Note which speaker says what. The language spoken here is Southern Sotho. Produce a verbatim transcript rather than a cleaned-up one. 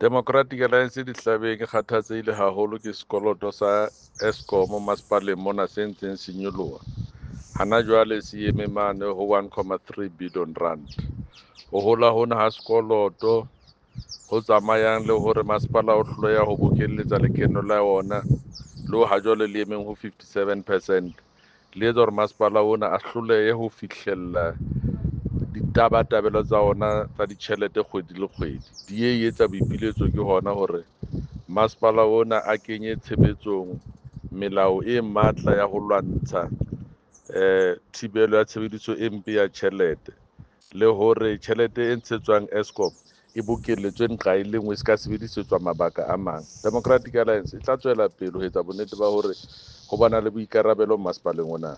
Speaker 1: Democratic Alliance dihlabeng e kgathatsehile haholo ke sekoloto sa Eskom masepaleng mona se ntseng se nyoloha. Hana jwale se eme mane ho one comma three billion rand. Ho hola hona ha sekoloto ho tsamayang le hore masepala o hloleha ho bokelletsa lekeno la ona le ha jwale le emeng ho fifty seven percent, le etsa hore masepala ona a hlolehe ho fihlella ditabatabelo tsa ona tsa ditjhelete kgwedi le kgwedi. D A e etsa boipiletso ke hona hore masepala ona a kenye tshebetsong melao e matla ya ho lwantsha, eh, thibelo ya tshebediso e mpe ya tjhelete, le hore tjhelete e ntshetswang Eskom e bokelletswe nqa e le nngwe, e se ka sebedisetswa mabaka a mang. Democratic Alliance e tla tswela pele ho etsa bonnete ba hore ho bana le boikarabelo masepaleng ona.